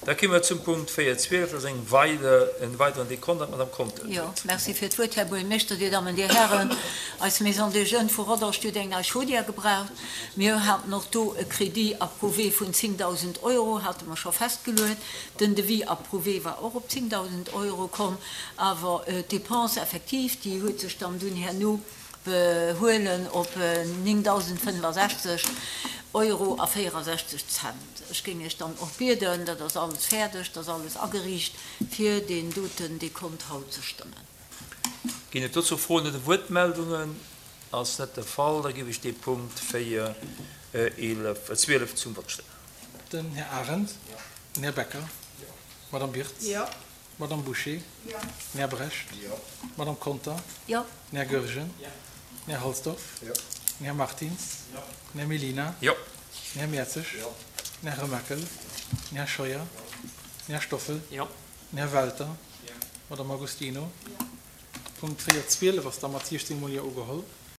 Da komme mer zum Punkt 4.12, dat ass eng weider, en weideren Dekont an d'Madame Conter huet Jo, d'Wuert. merci fir d'Wuert, Här Buergermeeschter, Dir Dammen, Dir Hären. Eis Maison des Jeunes vu Rodange, déi huet eng nei Chaudière gebraucht. Mir haten och do e Crédit approuvé vun 10.000 Euro, hate mer scho festgeluet. Den Devis approuvé war och op 10.000 Euro komm, awer d'Dépense effective, déi huet sech dann dunn herno behuelen op 9.065 Euro a 64 Cent. Ech géing Iech dann och bieden, dat ass alles fäerdeg, dat ass alles ageriicht, fir deen doten Dekont haut ze stëmmen. Ginn et dozou Froen oder Wuertmeldungen? Ass net de Fall, da géif ech dee Punkt 4, 11, 12 zum Vott stellen. Den Här Arendt. Den Här Becker. D'Madame Birtz. D'Madame Bouché. Den Här Brecht. D'Madame Conter. Den Här Goergen. Den Här Halsdorf. Den Här Martins. Den Här Mellina. Den Här Mertzig. Den Här Remakel. Den Här Scheuer. Den Här Stoffel. Den Här Welter. D'Madame Agostino. Punkt 4, 12 ass da mat 16 mol Jo ugeholl.